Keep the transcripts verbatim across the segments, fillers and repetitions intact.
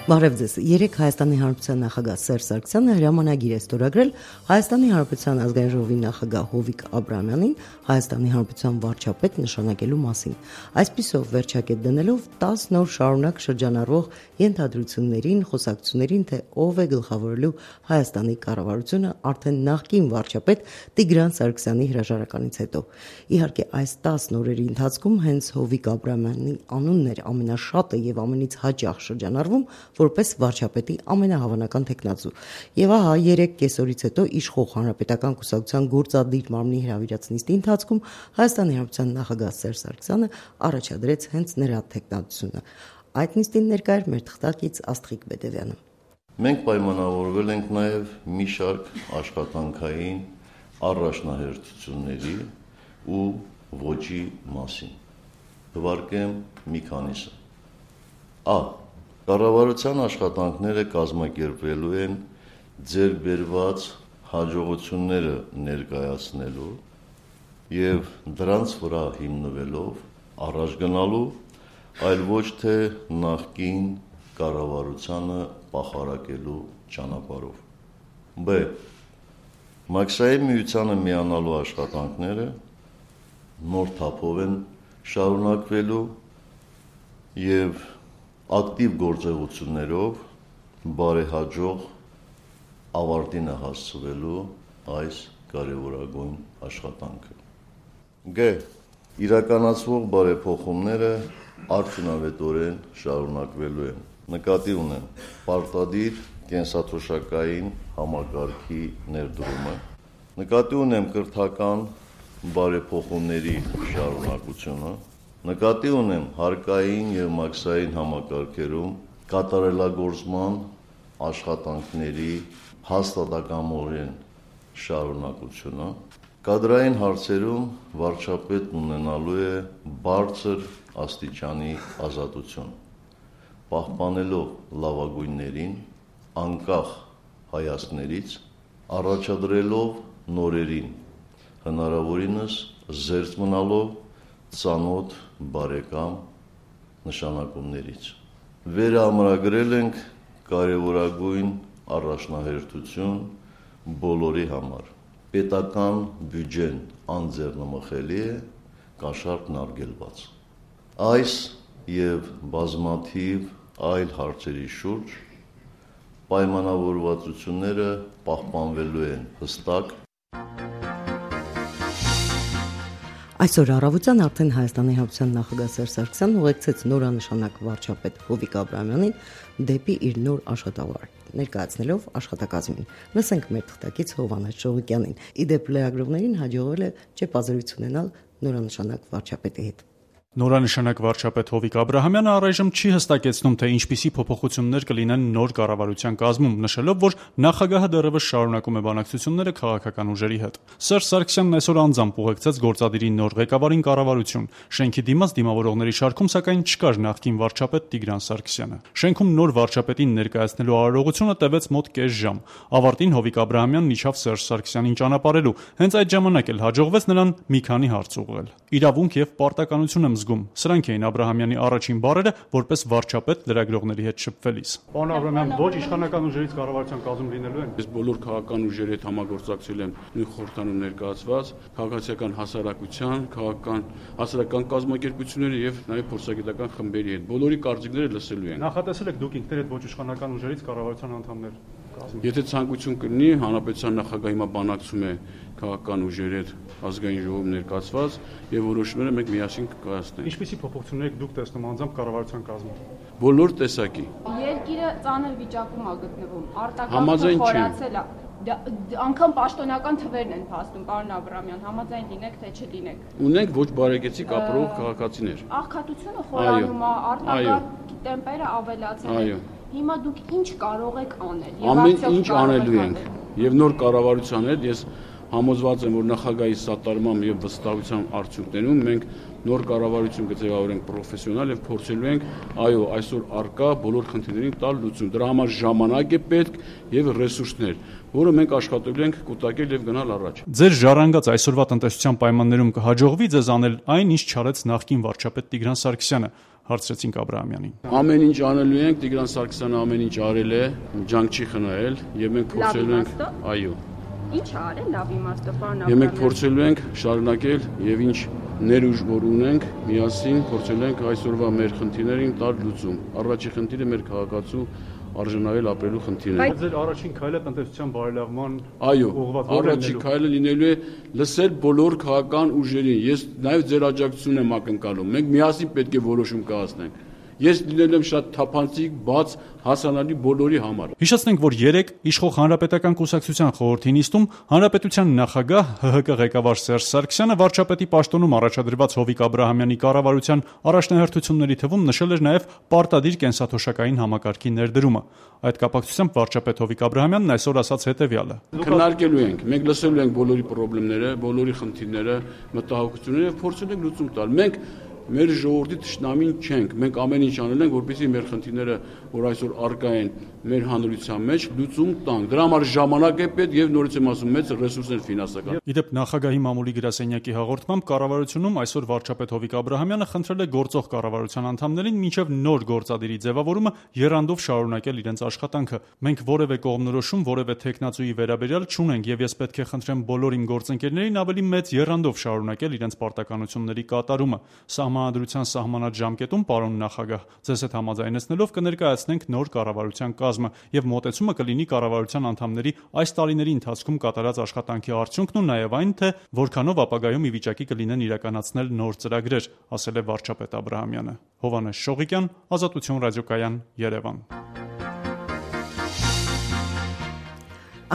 Բարև ձեզ։ Երեկ Հայաստանի Հանրապետության նախագահ Սերժ Սարգսյանը հրամանագիր է ստորագրել Հայաստանի Հանրապետության ազգային ժողովի նախագահ Հովիկ Աբրահամյանին Հայաստանի Հանրապետության վարչապետ նշանակելու մասին։ Այսպիսով վերջակետ դնելով տասը նոր շարունակ շրջանառվող ենթադրություններին, խոսակցություններին, թե ով է գլխավորելու Հայաստանի կառավարությունը արդեն նախկին վարչապետ Տիգրան Սարգսյանի հրաժարականից հետո։ Իհարկե, այս տասը նորերի ընթացքում հենց Հովիկ Աբրահամյանի անունն էր ամենաշատը եւ ամենից հաճախ շրջանառվում որպես վարչապետի ամենահավանական թեկնածու։ Եվ ահա երեք կեսօրից հետո իշխող Հանրապետական կուսակցության գործադիր մարմնի հրավիրած նիստի ընթացքում Հայաստանի Հանրապետության նախագահ Սերժ Սարգսյանը առաջադրեց հենց նրա թեկնածությունը։ Այդ նիստին ներկա էր մեր թղթակից Աստղիկ Բեդևյանը։ Մենք պայմանավորվել ենք նաև մի շարք աշխատանքային առաջնահերթությունների ու ոճի մասին։ Թվարկեմ մի քանիսը։ Ա. Կառավարության աշխատանքները կազմակերպվելու են ձեռք բերված հաջողությունները ներկայացնելու եւ դրանց վրա հիմնվելով առաջ գնալու, այլ ոչ թե նախկին կառավարությանը պախարակելու ճանապարհով։ Բ. Մաքսային միությանը միանալու աշխատանքները նոր թափով են շարունակվելու եւ ակտիվ գործողություններով բարեհաջող ավարտին է հասցվելու այս կարևորագույն աշխատանքը։ Գ. Իրականացվող բարեփոխումները արդյունավետորեն շարունակվելու են։ Նկատի ունեմ պարտադիր կենսաթոշակային համակարգի ներդրումը, նկատի ունեմ կրթական բարեփոխումների շարունակությունը, նկատի ունեմ հարկային եւ մաքսային համակարգերում կատարելագործման աշխատանքների հաստատակամորեն շարունակությունը, կադրային հարցերում վարչապետն ունենալու է բարձր աստիճանի ազատություն, պահպանելով լավագույններին, անկախ հայացքներից, առաջադրելով նորերին, հնարավորինս զերծ մնալով ծանոթ բարեկամ նշանակումներից։ Վերամրագրել ենք կարևորագույն առաջնահերթություն բոլորի համար։ Պետական բյուջեն անձեռնմխելի է, կաշառքն արգելված։ Այս եւ բազմաթիվ այլ հարցերի շուրջ պայմանավորվածությունները պահպանվելու են հստակ։ Այսօր առավոտյան արդեն Հայաստանի Հանրապետության նախագահ Սերժ Սարգսյանն ուղեկցեց նորանշանակ վարչապետ Հովիկ Աբրահամյանին դեպի իր նոր աշխատավայր, ներկայացնելով աշխատակազմին։ Լսենք մեր թղթակից Հովհաննես Շողիկյանին։ Իդեպ լրագրողներին հաջողվել է ճեպազրույց ունենալ նորանշանակ վարչապետի հետ։ Նորանշանակ վարչապետ Հովիկ Աբրահամյանը առայժմ չի հստակեցնում, թե ինչպիսի փոփոխություններ կլինեն նոր կառավարության կազմում, նշելով, որ նախագահը դեռևս շարունակում է բանակցությունները քաղաքական ուժերի հետ։ Սերժ Սարգսյանն այսօր անձամբ ուղեկցեց գործադիրի նոր ղեկավարին կառավարություն։ Շենքի դիմաց դիմավորողների շարքում սակայն չկար նախկին վարչապետ Տիգրան Սարգսյանը։ Շենքում նոր վարչապետին ներկայացնելու արարողությունը տևեց մոտ կես ժամ։ Ավարտին Հովիկ Աբրահամյանն իջավ Սերժ Սարգսյանին ճանապարհելու։ Հենց այդ ժամանակ էլ հաջողվեց նրան մի քանի հարց ուղղել։ Իրավունք եւ պարտականություն եմ զգում։ Սրանք էին Աբրահամյանի առաջին բառերը, որպես վարչապետ լրագրողների հետ շփվելիս։ Պարոն Աբրահամյան, ոչ իշխանական ուժերից կառավարության կազմում լինելու են։ Ես բոլոր քաղաքական ուժերի հետ համագործակցել եմ նույն խորհրդանում ներկայացված քաղաքացիական հասարակության, քաղաքական հասարակական կազմակերպությունների եւ նաեւ փորձագիտական խմբերի հետ։ Բոլորի կարծիքները լսելու են։ Նախատեսել եք դուք ինքներդ ոչ իշխանական ուժերից կառավարության անդամներ կազմել։ Եթե ցանկություն կլինի, հանրապետության նախագահը հիմա բանակցում է քաղաքական ուժերի հետ ազգային ժողովում ներկայացված եւ որոշումները մենք միասին կկայացնենք։ Ինչպիսի փոփոխություններ եք դուք տեսնում անձամբ կառավարության կազմում։ Բոլոր տեսակի։ Երկիրը ծանր վիճակում է գտնվում, արտակարգը խորացել է։ Անկամ պաշտոնական թվերն են փաստում, պարոն Աբրահամյան, համաձայն լինեք թե չլինեք։ Ունենք ոչ բարեկեցիկ ապրող քաղաքացիներ։ Աղքատությունը խորանում է, արտակարգ տեմպերը ավելացել են։ Հիմա դուք ինչ կարող եք անել։ Ամեն ինչ անելու ենք։ Եվ նոր կառավարության հետ ես համոզված եմ, որ նախագահի սատարմամբ եւ վստահության արդյունքներում մենք նոր կառավարություն կձևավորենք պրոֆեսիոնալ եւ փորձելու ենք այո այսօր արկա բոլոր խնդիրներին տալ լուծում։ Դրա համար ժամանակ է պետք եւ ռեսուրսներ, որը մենք աշխատելու ենք կուտակել եւ գնալ առաջ։ Ձեր ժառանգած այսօրվա տնտեսության պայմաններում կհաջողվի ձեզ անել այն, ինչ չարեց նախկին վարչապետ Տիգրան Սարգսյանը։ հարցրեցինք Աբրահամյանին։ Ամեն ինչ անելու ենք, Տիգրան Սարգսյանը ամեն ինչ արել է, ջանք չի խնայել, եւ մենք փորձելու ենք, այո։ Ինչ ա արել լավ իմաստով, պարոն Աբրահամյան։ Եվ մենք փորձելու ենք շարունակել եւ ինչ ներուժ որ ունենք, միասին փորձելու ենք այսօրվա մեր խնդիրներին տալ լուծում։ Առաջի խնդիրը մեր քաղաքացու արժանայել ապրելու խնդիրն է։ Բայց ձեր առաջին քայլը տնտեսության բարելավման այո, առաջին քայլը լինելու է լսել բոլոր քաղաքական ուժերին։ Ես նաև ձեր աջակցությունն եմ ակնկալում։ Մենք միասին պետք է որոշում կայացնենք։ Ես լինել եմ շատ թափանցիկ, բաց, հասանելի բոլորի համար։ Հիշեցնենք, որ երեկ իշխող Հանրապետական կուսակցության խորհրդի նիստում Հանրապետության նախագահ ՀՀԿ ղեկավար Սերժ Սարգսյանը վարչապետի պաշտոնում առաջադրված Հովիկ Աբրահամյանի կառավարության առաջնահերթությունների թվում նշել էր նաև պարտադիր կենսաթոշակային համակարգի ներդրումը։ Այդ կապակցությամբ վարչապետ Հովիկ Աբրահամյանն այսօր ասաց հետևյալը. Քննարկելու ենք, մենք լսելու ենք բոլորի խնդիրները, բոլորի խնդիրները, մտահոգությունները եւ փորձելու ենք լուծում տալ։ Մենք մեր ժողովրդի թշնամին չենք, մենք ամեն ինչ անել ենք, որպեսզի մեր խնդիրները, որ այսօր առկա են մեր հանրության մեջ, լուծում տանք։ Դրա համար ժամանակ է պետք եւ նորից եմ ասում, մեծ ռեսուրսներ ֆինանսական։ Իդեպ նախագահի մամուլի գրասենյակի հաղորդմամբ կառավարությունում այսօր վարչապետ Հովիկ Աբրահամյանը խնդրել է գործող կառավարության անդամներին մինչև նոր գործադիրի ձևավորումը եռանդով շարունակել իրենց աշխատանքը։ Մենք որևէ կողմնորոշում, որևէ տեխնացուի վերաբերյալ չունենք եւ ես պետք է խնդրեմ բոլոր իմ գործընկերներին ավելի մեծ եռանդով շարունակել իրենց պարտականությունների կատարումը։ Սահմանադրության սահմանած ժամկետում, պարոն նախագահ, ձեզ հետ համաձայնեցնելով կներկայացնենք նոր կառավարության կազմը եւ մոտեցումը կլինի կառավարության անդամների այս տարիների ընթացքում կատարած աշխատանքի արդյունքն ու նաեւ այն, թե որքանով ապագայում ի վիճակի կլինեն իրականացնել նոր ծրագրեր, ասել է վարչապետ Աբրահամյանը։ Հովհաննես Շողիկյան, Ազատություն ռադիոկայան, Երևան։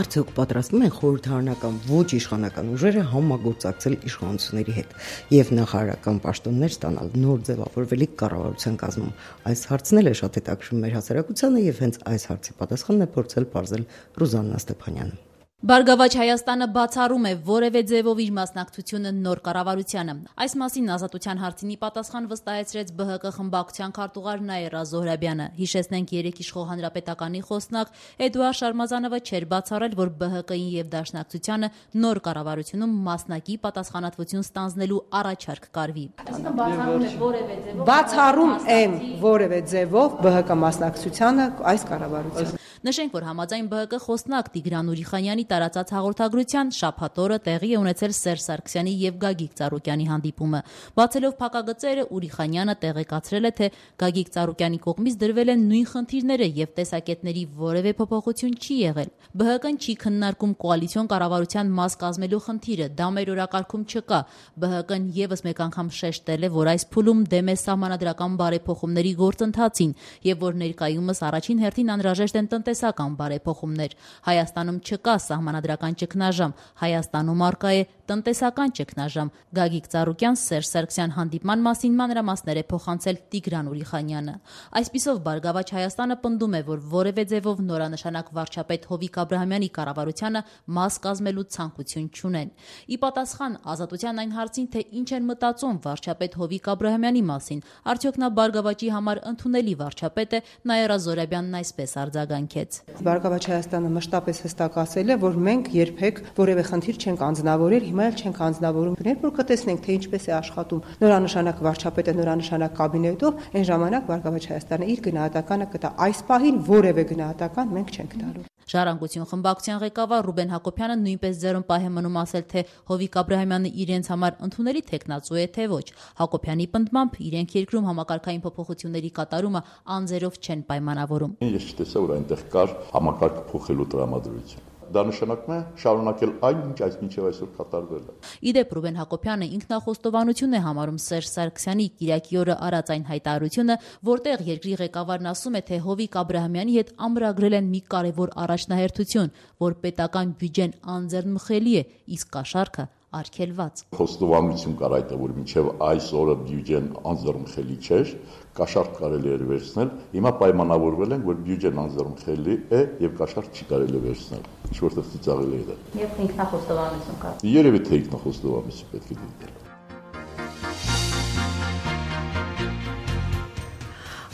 Արդյոք պատրաստվում են խորհրդարանական ոչ իշխանական ուժերը համագործակցել իշխանությունների հետ եւ նախարարական պաշտոններ ստանալ նոր ձևավորվելիք կառավարության կազմում։ Այս հարցն էլ է շատ հետաքրքրում մեր հասարակությանը եւ հենց այս հարցի պատասխանն է փորձել բարձել Ռուզաննա Ստեփանյանը։ Բարգավաճ Հայաստանը բացառում է որևէ ձևով իր մասնակցությունը նոր կառավարությանը։ Այս մասին Ազատության հարցինի պատասխան վստահեցրեց ԲՀԿ խմբակցության քարտուղար Նաիրա Զոհրաբյանը։ Հիշեցնենք երեք իշխող հանրապետականի խոսնակ Էդուարդ Շարմազանովը չէր բացառել, որ ԲՀԿ-ին եւ Դաշնակցությանը նոր կառավարությունում մասնակի պատասխանատվություն ստանձնելու առաջարկ կարվի։ Այսինքն բացառում է որևէ ձևով բացառում եմ որևէ ձևով ԲՀԿ մասնակցությանը այս կառավարության։ Նշենք, որ համաձայն ԲՀԿ խոսնակ Տիգրան Ուրիխանյանի տարածած հաղորդագրության շաբաթ օրը տեղի է ունեցել Սերժ Սարգսյանի եւ Գագիկ Ծառուկյանի հանդիպումը։ Բացելով փակագծերը Ուրիխանյանը տեղեկացրել է, թե Գագիկ Ծառուկյանի կողմից դրվել են նույն խնդիրները եւ տեսակետների որևէ փոփոխություն չի եղել։ ԲՀԿ-ն չի քննարկում կոալիցիոն կառավարության մաս կազմելու խնդիրը, դա մեր օրակարգում չկա։ ԲՀԿ-ն եւս մեկ անգամ շեշտել է, որ այս փուլում դեմ է սահմանադրական բարեփոխումների գործընթացին եւ որ ներկայումս առաջին հերթին անհրաժեշտ են տնտեսական բարեփոխումներ։ Հայաստանում չկա սահմանադրական ճգնաժամ, Հայաստանում առկա է տնտեսական ճգնաժամ։ Գագիկ Ծառուկյան Սերժ Սարգսյան հանդիպման մասին մանրամասներ է փոխանցել Տիգրան Ուրիխանյանը։ Այսպիսով Բարգավաճ Հայաստանը պնդում է, որ որևէ ձևով նորանշանակ վարչապետ Հովիկ Աբրահամյանի կառավարությանը մաս կազմելու ցանկություն չունեն։ Ի պատասխան Ազատության այն հարցին, թե ինչ են մտածում վարչապետ Հովիկ Աբրահամյանի մասին, արդյոք նա Բարգավաճի համար ընդունելի վարչապետ է, Նաիրա Զոհրաբյանն այսպես արձագանքեց։ Բարգավաճ Հայաստանը մշտապես հստակ ասել է, որ մենք երբեք որևէ խնդիր չենք անձնավորել, հիմա էլ չենք անձնավորում։ Երբ որ կտեսնենք, թե ինչպես է աշխատում նորանշանակ վարչապետը, նորանշանակ կաբինետով, այն ժամանակ Բարգավաճ Հայաստանը իր գնահատականը կտա։ Այս պահին որևէ գնահատական մենք չենք տալու։ Ժառանգություն խմբակցության ղեկավար Ռուբեն Հակոբյանը նույնպես ձեռն պահ է մնում ասել, թե Հովիկ Աբրահամյանը իրենց համար ընդունելի տեխնացու է, թե ոչ։ Հակոբյանի պնդմամբ իրենք երկրում համակարգային փոփոխությունների կատարումը անձերով չեն պայմանավորում։ Ես չտեսա, որ այնտեղ կար համակարգ փոխելու տրամադրություն։ Դա նշանակում է շարունակել այն, ինչ այս մինչև այսօր կատարվել է։ Իդեպ Ռուբեն Հակոբյանը ինքնախոստովանություն է համարում Սերժ Սարգսյանի Կիրակի օրը արած այն հայտարարությունը, որտեղ երկրի ղեկավարն ասում է, թե Հովիկ Աբրահամյանի հետ ամրագրել են մի կարևոր առաջնահերթություն, որ պետական բյուջեն անձեռնմխելի է, իսկ կաշառքը արգելված։ Խոստովանություն կար այդ, որ մինչև այս օրը բյուջեն անձեռնմխելի չէր, կաշառք կարելի էր վերցնել, հիմա պայմանավորվել են, որ բյուջեն անձեռնմխելի է եւ կաշառք չի կարելի վերցնել։ Ինչ որտեղ ծիծաղել է դա։ Եվ ինքնախոստովանություն կա։ Երևի թե ինքնախոստովանություն պետք է դիտել։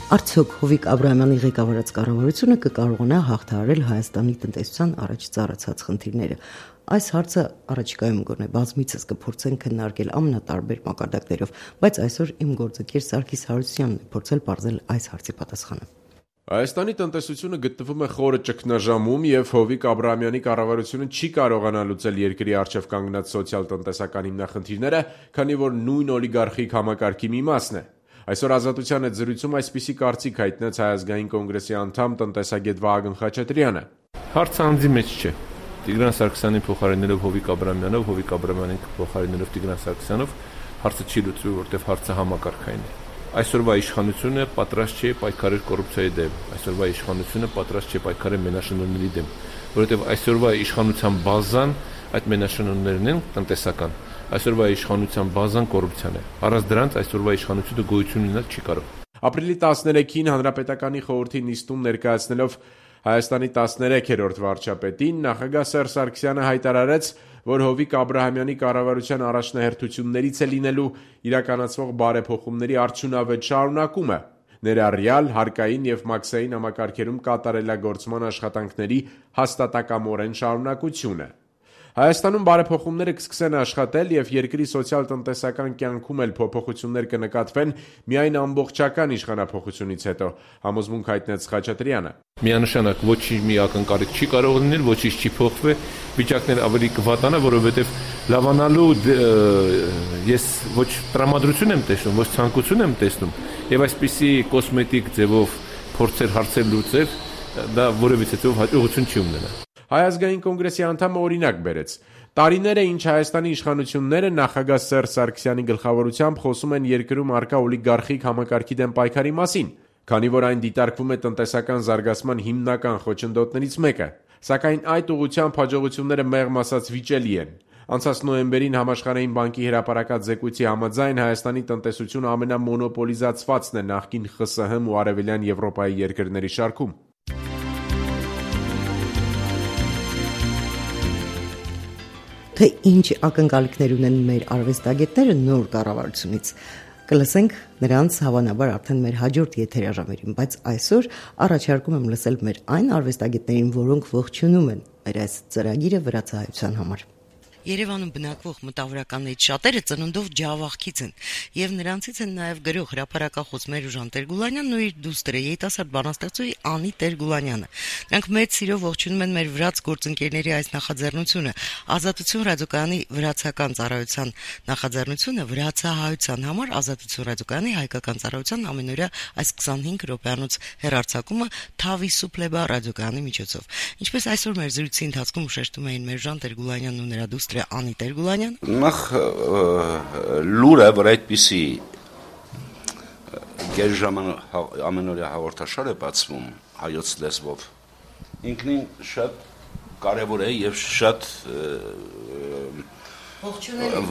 Արդյոք Հովիկ Աբրահամյանի ղեկավարած կառավարությունը կկարողանա հաղթահարել Հայաստանի տնտեսության առաջ ծառացած խնդիրները։ Այս հարցը առաջիկայում գոնե բազմիցս կփորձեն քննարկել ամենատարբեր մակարդակներով, բայց այսօր իմ գործընկեր Սարգիս Հարությունյանն է փորձել պարզել այս հարցի պատասխանը։ Հայաստանի տնտեսությունը գտնվում է խորը ճգնաժամում եւ Հովիկ Աբրահամյանի կառավարությունը չի կարողանա լուծել երկրի առջև կանգնած սոցիալ-տնտեսական հիմնախնդիրները, քանի որ նույն օլիգարխիկ համակարգի մի մասն է։ Այսօր Ազատության հետ զրույցում այսպիսի կարծիք հայտնեց Հայ ազգային կոնգրեսի անդամ տնտեսագետ Վահագն Խաչատրյանը։ Հարցը անձի մեջ չէ։ Տիգրան Սարգսյանին փոխարինելով Հովիկ Աբրահամյանով, Հովիկ Աբրահամյանին փոխարինելով Տիգրան Սարգսյանով հարցը չի լուծվի, որտեղ հարցը համակարգային է։ Այսօրվա իշխանությունը պատրաստ չէ պայքարել կոռուպցիայի դեմ, այսօրվա իշխանությունը պատրաստ չէ պայքարել մենաշնորհների դեմ, որովհետև այսօրվա իշխանության բազան այդ մենաշնորհներն են տնտեսական, այսօրվա իշխանության բազան կոռուպցիան է։ Առանց դրանց այսօրվա իշխանությունը գոյություն ունենալ չի կարող։ Ապրիլի տասներեքին Հանրապետականի խորհրդի նիստում ներկայացնելով Հայաստանի տասներեքերորդ վարչապետին նախագահ Սերժ Սարգսյանը հայտարարեց, որ Հովիկ Աբրահամյանի կառավարության առաջնահերթություններից է լինելու իրականացվող բարեփոխումների արդյունավետ շարունակումը, ներառյալ հարկային եւ մաքսային համակարգերում կատարելագործման աշխատանքների հաստատակամորեն շարունակությունը։ Հայաստանում բարեփոխումները կսկսեն աշխատել եւ երկրի սոցիալ-տնտեսական կյանքում էլ փոփոխություններ կնկատվեն միայն ամբողջական իշխանափոխությունից հետո, համոզմունք հայտնեց Խաչատրյանը։ Միանշանակ ոչինչ մի ակնկալիք չի կարող լինել, ոչինչ չի փոխվի, վիճակները ավելի կվատանա, որովհետեւ լավանալու ես ոչ տրամադրություն եմ տեսնում, ոչ ցանկություն եմ տեսնում, եւ այսպիսի կոսմետիկ ձևով փորձեր հարցեր լուծել, դա որևիցե ձեւով հաջողություն չի ունենա։ Հայ ազգային կոնգրեսի անդամը օրինակ բերեց. տարիներ է ինչ Հայաստանի իշխանությունները նախագահ Սերժ Սարգսյանի գլխավորությամբ խոսում են երկրում առկա օլիգարխիկ համակարգի դեմ պայքարի մասին, քանի որ այն դիտարկվում է տնտեսական զարգացման հիմնական խոչընդոտներից մեկը, սակայն այդ ուղղությամբ հաջողությունները մեղմ ասած վիճելի են։ Անցած նոյեմբերին Համաշխարհային բանկի հրապարակած զեկույցի համաձայն Հայաստանի տնտեսությունը ամենամոնոպոլիզացվածն է նախկին ԽՍՀՄ ու Արևելյան Եվրոպայի երկրների շարքում։ Թե ինչ ակնկալիքներ ունեն մեր արվեստագետները նոր կառավարությունից, կլսենք նրանց հավանաբար արդեն մեր հաջորդ եթերաժամերին, բայց այսօր առաջարկում եմ լսել մեր այն արվեստագետներին, որոնք ողջունում են մեր այս ծրագիրը վրացահայության համար։ Երևանում բնակվող մտավորականներից շատերը ծնունդով ջավախքից են, եւ նրանցից են նաեւ գրող հրապարակախոս Մերուժան Տեր-Գուլանյանն ու իր դուստրը երիտասարդ բանաստեղծուհի Անի Տեր-Գուլանյանը։ Նրանք մեծ սիրով ողջունում են մեր վրաց գործընկերների այս նախաձեռնությունը, Ազատություն ռադիոկայանի վրացական ծառայության նախաձեռնությունը վրացահայության համար Ազատություն ռադիոկայանի հայկական ծառայության ամենօրյա այս քսանհինգ րոպեանոց հեռարձակումը Թավի Սուպլեբա ռադիոկայանի միջոցով։ Ինչպես այսօր մեր զրույցի ընթացքում շեշտում էին Մերուժան Տեր-Գուլանյանն ու նրա դուստրը Անի Տեր-Գուլանյան, նախ լուրը, որ այդպիսի գերժաման ամենօրյա հաղորդաշար է բացվում հայոց լեզվով, ինքնին շատ կարևոր է եւ շատ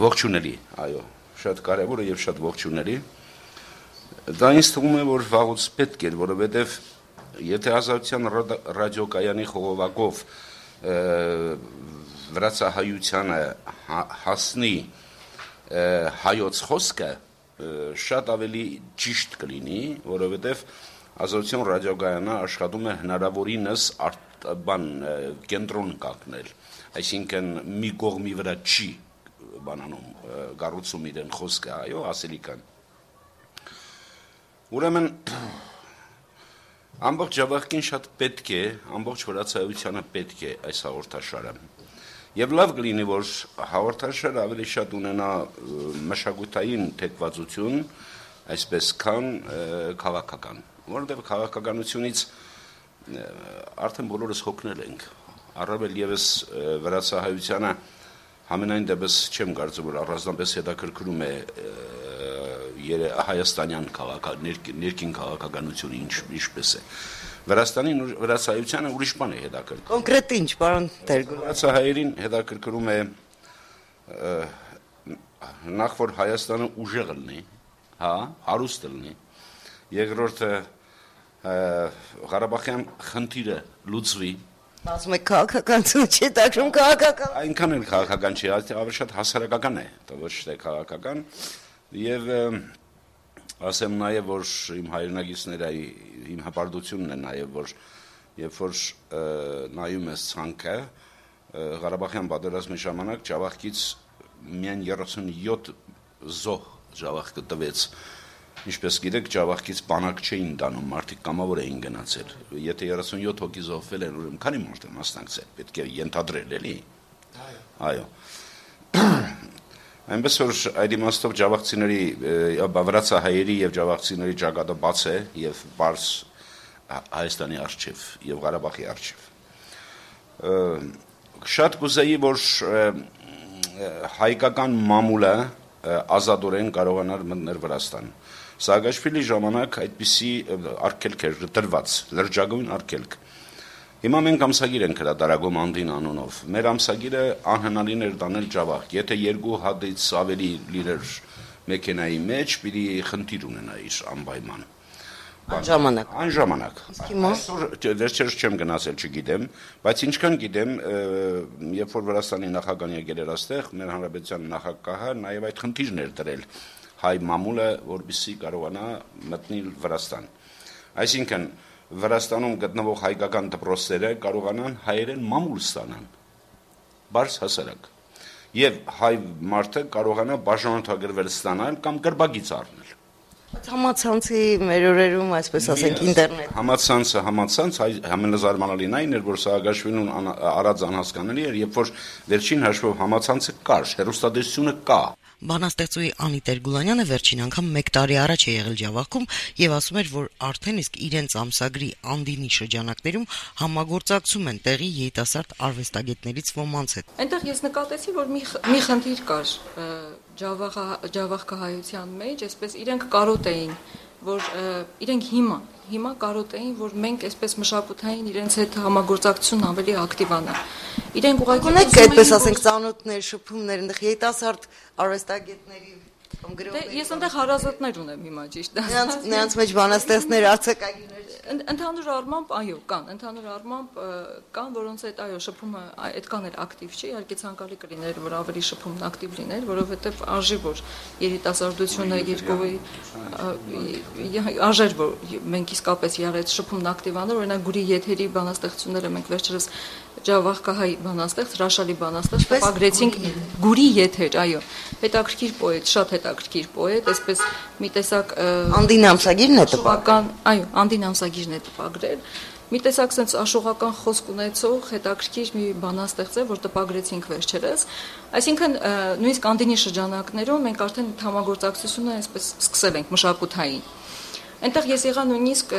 ողջունելի, այո, շատ կարևոր է եւ շատ ողջունելի։ Դա ինձ թվում է, որ վաղուց պետք էր, որովհետեւ եթե Ազատության ռադիոկայանի խողովակով վրացահայությանը հասնի հայոց խոսքը, շատ ավելի ճիշտ կլինի, որովհետև Ազատություն ռադիոկայանը աշխատում է հնարավորինս բան կենտրոն կանգնել, այսինքն մի կողմի վրա չի բանանում կառուցում իրեն խոսքը, այո, ասելիքան։ Ուրեմն ամբողջ ժողովրդին շատ պետք է, ամբողջ վրացահայությանը պետք է այս հաղորդաշարը։ Եվ լավ կլինի, որ հաղորդաշարը ավելի շատ ունենա մշակութային թեկվածություն, այսպես քան քաղաքական, որովհետև քաղաքականությունից արդեն բոլորս հոգնել ենք, առավել ևս վրացահայությանը համենայն դեպս չեմ կարծում, որ առանձնապես հետաքրքրում է հայաստանյան ներքին քաղաքականությունը ինչպես է։ Վրաստանի վրացահայությանը ուրիշ բան է հետաքրքրում։ Կոնկրետ ինչ, պարոն Տեր-Գուլանյան։ Վրացահայերին հետաքրքրում է նախ որ Հայաստանը ուժեղ լինի, հա, հարուստ լինի, երկրորդը Ղարաբաղյան խնդիրը լուծվի։ Ասում եք քաղաքականություն չի, դակրում քաղաքական։ Այնքան էլ քաղաքական չի, ավելի շատ հասարակական է, ոչ թե քաղաքական, եւ ասեմ նաև, որ իմ հայրենագիցները, իմ հպարտությունն է նաև, որ երբ որ նայում ես ցանկը, Ղարաբաղյան պատերազմի ժամանակ Ջավախքից միայն երեսունյոթ զոհ Ջավախքը տվեց։ Ինչպես գիտեք, Ջավախքից բանակ չէին տանում, մարդիկ կամավոր էին գնացել։ Եթե երեսունյոթ հոգի զոհվել են, ուրեմն քանի մարդ է մասնակցել, պետք է ենթադրել, էլի։ Այո։ Այնպես որ այդ իմաստով ջավախցիների, վրացահայերի եւ ջավախցիների ճակատը բաց է եւ բարձ Հայաստանի արչիվ եւ Ղարաբաղի արչիվ։ Շատ կուզեի, որ հայկական մամուլը ազատորեն կարողանար մտնել Վրաստան։ Սաակաշվիլի ժամանակ այդպիսի արգելք էր դրված, լրջագույն արգելք։ Հիմա մենք ամսագիր ենք հրատարակում Անդին անունով։ Մեր ամսագիրը անհնարին էր տանել Ջավախք։ Եթե երկու հատից ավելի լիրեր մեքենայի մեջ, պիտի խնդիր ունենայիր անպայման։ Անժամանակ։ Անժամանակ։ Այսօր վերջերս չեմ գնացել, չգիտեմ, բայց ինչքան գիտեմ, երբ որ Վրաստանի նախագահան եկել էր այստեղ, մեր հանրապետության նախագահը նաև այդ խնդիրն էր դրել հայ մամուլը, որպեսզի կարողանա մտնել Վրաստան։ Այսինքն Վրաստանում գտնվող հայկական դպրոցները կարողանան հայերեն մամուլ ստանան, բարձ հասարակ, եւ հայ մարդը կարողանա բաժանորդագրվել ստանալ կամ գրբագից առնել։ Համացանցի մեր օրերում, այսպես ասենք, ինտերնետ։ Համացանցը, համացանց, ամենազարմանալին այն էր, որ Սաակաշվիլին արած անհասկանալի էր, երբ որ վերջին հաշվով համացանցը կար, հեռուստատեսությունը կա։ Բանաստեղծուհի Անի Տեր-Գուլանյանը վերջին անգամ մեկ տարի առաջ է եղել Ջավախքում եւ ասում էր, որ արդեն իսկ իրենց ամսագրի Անդինի շրջանակներում համագործակցում են տեղի երիտասարդ արվեստագետներից ոմանց հետ։ Այնտեղ ես նկատեցի, որ մի մի խնդիր կար Ջավախահայության մեջ, այսպես իրենք կարոտ էին, որ իրենք հիմա հիմա կարոտ էին, որ մենք այսպես մշակութային իրենց հետ համագործակցություն ավելի ակտիվանա։ Իրենք ուղղակի ունեք այդպես ասենք ծանոթներ, շփումներ, այնտեղ երիտասարդ արվեստագետների կամ գրողների։ Ես այնտեղ հարազատներ ունեմ հիմա, ճիշտ է։ Նրանց նրանց մեջ բանաստեղծներ, արձակագիրներ։ Ընդհանուր առմամբ, այո, կան, ընդհանուր առմամբ կան, որոնց հետ այո, շփումը այդքան էլ ակտիվ չի, իհարկե ցանկալի կլիներ, որ ավելի շփումն ակտիվ լիներ, որովհետև արժի որ երիտասարդությունը երկովի արժեր որ մենք իսկապես եղած շփումն ակտիվանալ, օրինակ Գուրի եթերի բանաստեղծությունները մենք վերջերս Ջավախքահայ բանաստեղծ, հրաշալի բանաստեղծ տպագրեցինք Գուրի եթեր, այո, հետաքրքիր պոետ, շատ հետաքրքիր պոետ, այսպես մի տեսակ Անդին ամսագիրն է տպագրել, այո, Անդին ամսագիրն է տպագրել, մի տեսակ sense աշխուղական խոսք ունեցող հետաքրքիր մի բանաստեղծ է, որ տպագրեցինք վերջերս, այսինքն նույնիսկ Անդինի շրջանակներում մենք արդեն համագործակցությունը այսպես սկսել ենք մշակութային։ Այնտեղ ես եղա նույնիսկ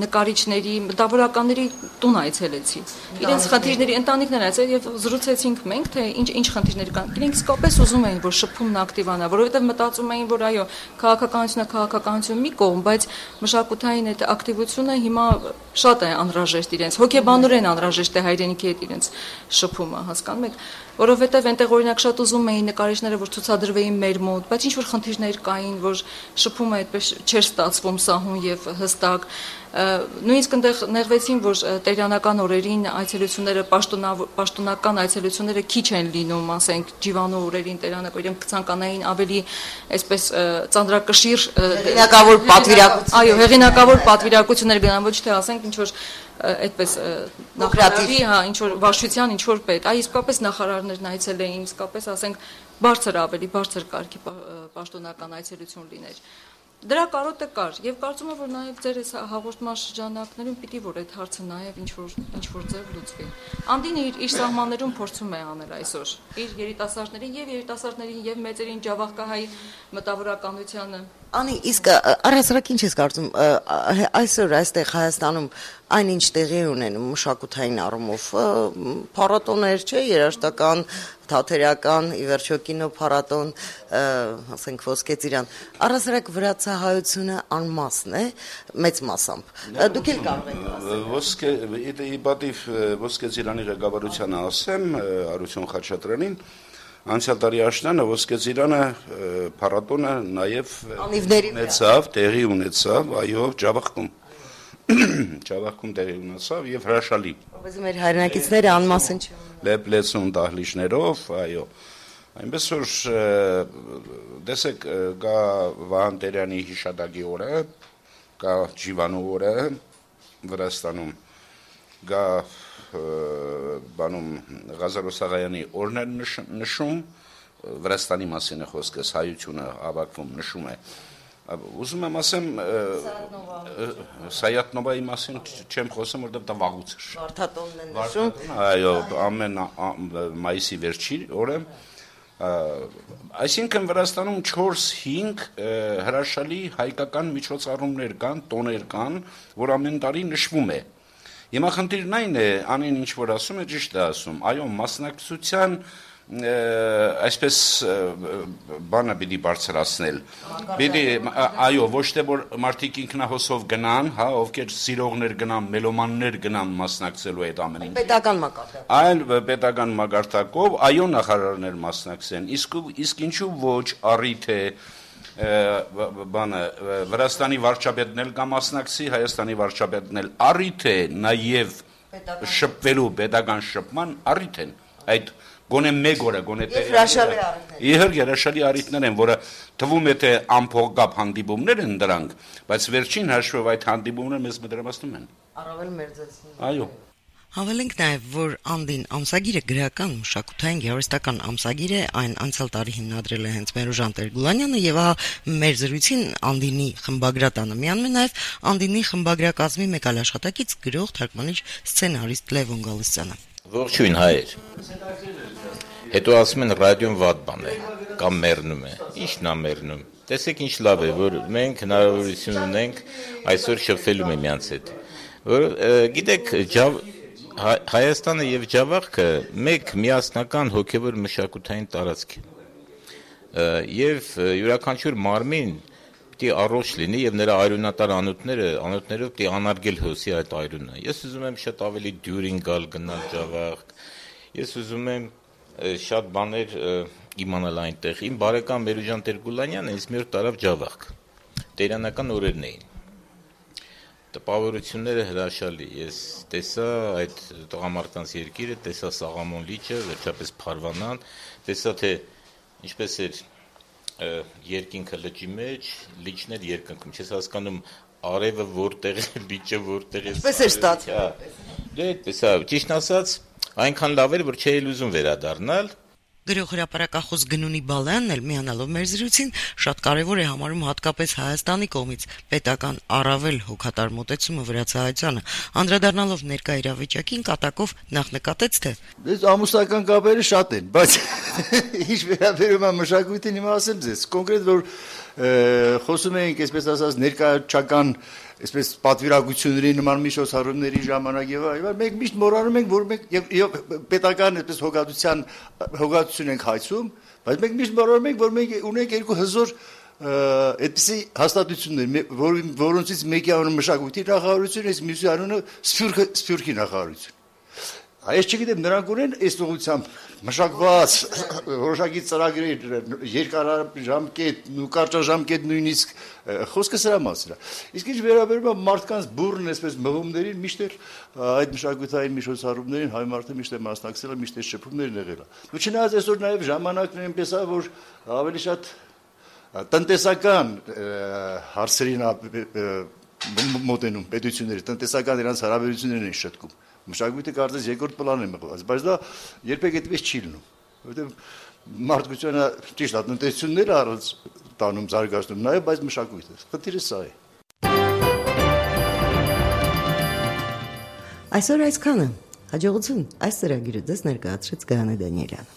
նկարիչների, մտավորականների տուն այցելեցի։ Իրենց խնդիրների ընտանիքներ այցել եւ զրուցեցինք մենք, թե ինչ ինչ խնդիրներ կան։ Իրենք իսկապես ուզում էին, որ շփումն ակտիվանա, որովհետեւ մտածում էին, որ այո, քաղաքականությունը քաղաքականություն մի կողմ, բայց մշակութային այդ ակտիվությունը հիմա շատ է անհրաժեշտ իրենց, հոգեբանորեն անհրաժեշտ է հայրենիքի հետ իրենց շփումը, հասկանում եք, որովհետեւ այնտեղ օրինակ շատ ուզում էին նկարիչները, որ ցուցադրվեին մեր մոտ, բայց ինչ որ խնդիրներ կային, որ շփումը այդպես չէր ստացվում սահուն եւ հստակ։ Նույնիսկ այնտեղ նեղվեցին, որ տերյանական օրերին այցելությունները պաշտոնական այցելությունները քիչ են լինում, ասենք ջիվանո օրերին տերյանակ իրենք ցանկանային ավելի այսպես ծանրակշիռ հեղինակավոր պատվիրակություն։ Այո, հեղինակավոր պատվիրակություններ գնան, ոչ թե ասենք ինչ որ այդպես նախարարի, հա, ինչ որ վարչության, ինչ որ պետ, այ իսկապես նախարարներն այցել էին, իսկապես ասենք բարձր ավելի բարձր կարգի պաշտոնական այցելություն լիներ։ Դրա կարոտը կար եւ կարծում եմ որ նաեւ ձեր այս հաղորդման շրջանակներում պիտի որ այդ հարցը նաեւ ինչ որ ինչ որ ձև լուծվի։ Անդինը իր իր սահմաններում փորձում է անել այսօր իր երիտասարդներին եւ երիտասարդներին եւ մեծերին Ջավախքահայ մտավորականությանը։ Անի, իսկ առհասարակ ինչ ես կարծում այսօր այստեղ Հայաստանում այնինչ տեղի ունենում մշակութային առումով փառատոներ, չէ, երաժշտական, թատերական, ի վերջո կինո փառատոն, ասենք Ոսկե ծիրան, առհասարակ վրացահայությունը անմասն է, մեծ մասամբ։ Դուք էլ կարող եք ասել։ Ոսկե իբադիվ Ոսկե ծիրանի ղեկավարությանը ասեմ, Արություն Խաչատրյանին, անցյալ տարի աշնանը Ոսկե ծիրանը փառատոնը նաև ունեցավ, տեղի ունեցավ, այո, Ջավախքում։ Ջավախքում տեղի ունեցավ եւ հրաշալի։ Որովհետեւ մեր հայրենակիցները անմասն չեն։ Լեփլեցուն դահլիճներով, այո։ Այնպես որ դեսեք գա Վահան Տերյանի հիշատակի օրը, կա Ջիվանո օրը Վրաստանում։ գա բանում Ղազարո Սաղայանի օրներ նշում, Վրաստանի մասին է խոսքս, հայությունը ավակվում նշում է։ Ուզում եմ ասեմ Սայաթնովայի մասին չեմ խոսում, որտեղ դա վաղուց էր։ Վարդատոնն է նշում։ Այո, ամեն մայիսի վերջի օրը։ Այսինքն Վրաստանում չորս-հինգ հրաշալի հայկական միջոցառումներ կան, տոներ կան, որ ամեն տարի նշվում է։ Հիմա խնդիրն այն է, անին ինչ որ ասում է, ճիշտ է ասում, այո, մասնակցության այսպես բանը պիտի բարձրացնել։ Պիտի, այո, ոչ թե որ մարդիկ ինքնահոսով գնան, հա, ովքեր սիրողներ գնան, մելոմաններ գնան մասնակցելու այդ ամեն ինչ։ Պետական մակարդակով։ Այլ պետական մակարդակով, այո, նախարարներ մասնակցեն։ Իսկ իսկ ինչու ոչ առիթ է բանը Վրաստանի վարչապետն էլ կա մասնակցի, Հայաստանի վարչապետն էլ առիթ է նաև շփվելու պետական շփման առիթ են այդ գոնե մեկ օրը, գոնե հրաշալի առիթներ։ Իհարկե հրաշալի առիթներ են, որը թվում է թե անփողկապ հանդիպումներ են դրանք, բայց վերջին հաշվով այդ հանդիպումները մեզ մտերմացնում են։ Առավել մերձեցնում։ Այո։ Հավելենք նաև, որ Անդին ամսագիրը գրական, մշակութային, գեղարվեստական ամսագիր է, այն անցյալ տարի հիմնադրել է հենց Մերուժան Տեր-Գուլանյանը եւ ահա մեր զրույցին Անդինի խմբագրատանը միանում է նաև Անդինի խմբագրակազմի մեկ այլ աշխատակից գրող, թարգմանիչ, սցենարիստ Լևոն Գալստյանը։ Ողջույն հայեր։ Հետո ասում են ռադիոն վատ բան է, կամ մեռնում է։ Ի՞նչն է մեռնում։ Տեսեք ինչ լավ է, որ մենք հնարավորություն ունենք այսօր շփվելու միմյանց հետ։ Որ գիտեք, Հայաստանը եւ Ջավախքը մեկ միասնական հոգեվոր մշակութային տարածք է։ Եվ յուրաքանչյուր մարմին պիտի առողջ լինի եւ նրա արյունատար անոթները, անոթներով պիտի անարգել հոսի այդ արյունը։ Ես ուզում եմ շատ ավելի դյուրին գալ գնալ Ջավախ։ Ես ուզում եմ շատ բաներ իմանալ այնտեղ։ Իմ բարեկամ Մերուժան Տեր-Գուլանյանը ինձ մի օր տարավ Ջավախ։ Տերանական օրերն էին։ Տպավորությունները հրաշալի, ես տեսա այդ տղամարդկանց երկիրը, տեսա Սաղամոն լիճը, վերջապես Փարվանան, տեսա թե ինչպես էր երկինքը լճի մեջ, լիճն էր երկնքում, չես հասկանում արևը որտեղ է, լիճը որտեղ է։ Ինչպես էր ստացվում։ Դե այդպես է, ճիշտ ասած, այնքան լավ էր, որ չէի ուզում վերադառնալ։ Գրող հրապարակախոս Գնունի Բալայանն էլ միանալով մեր զրույցին շատ կարևոր է համարում հատկապես Հայաստանի կողմից պետական առավել հոգատար մոտեցումը վրացահայությանը, անդրադառնալով ներկա իրավիճակին կատակով նախ նկատեց թե Դες ամուսնական կապերը շատ են, բայց ինչ վերաբերում է մշակույթին, հիմա ասեմ ձեզ, կոնկրետ որ խոսում էինք, այսպես ասած, ներկայացական այսպես պատվիրակությունների նման միջոցառումների ժամանակ եւ այլն, մենք միշտ մոռանում ենք, որ մենք եւ պետական այսպես հոգատության հոգատություն ենք հայցում, բայց մենք միշտ մոռանում ենք, որ մենք ունենք երկու հզոր այդպիսի հաստատություններ, որոնցից մեկի անունը մշակույթի նախարարություն, իսկ մյուսի անունը Սփյուռքի նախարարություն։ Այս չգիտեմ, նրանք ունեն այս ուղղությամբ մշակված որոշակի ծրագրեր, երկարաժամկետ, կարճաժամկետ նույնիսկ խոսքը սրա մասին է։ Իսկ ինչ վերաբերում է մարդկանց բուրըն այսպես մղումներին, միշտ էլ այդ մշակութային միջոցառումներին հայ մարդը միշտ է մասնակցել, միշտ է շփումներ եղել։ Ու չնայած այսօր նաև ժամանակն այնպես է, որ ավելի շատ տնտեսական հարցերին մոտենում պետությունների, տնտեսական իրենց հարաբերություններն են շտկում։ Մշակույթը կարծես երկրորդ պլան է մղված, բայց դա երբեք այդպես չի լինում, որովհետև մարդկությունը ճիշտ է, տնտեսությունները առանց տանում զարգացնում նաև, բայց մշակույթը, խնդիրը սա է։ Այսօր այսքանը, հաջողություն, այս ծրագիրը ձեզ ներկայացրեց Գայանե Դանիելյանը։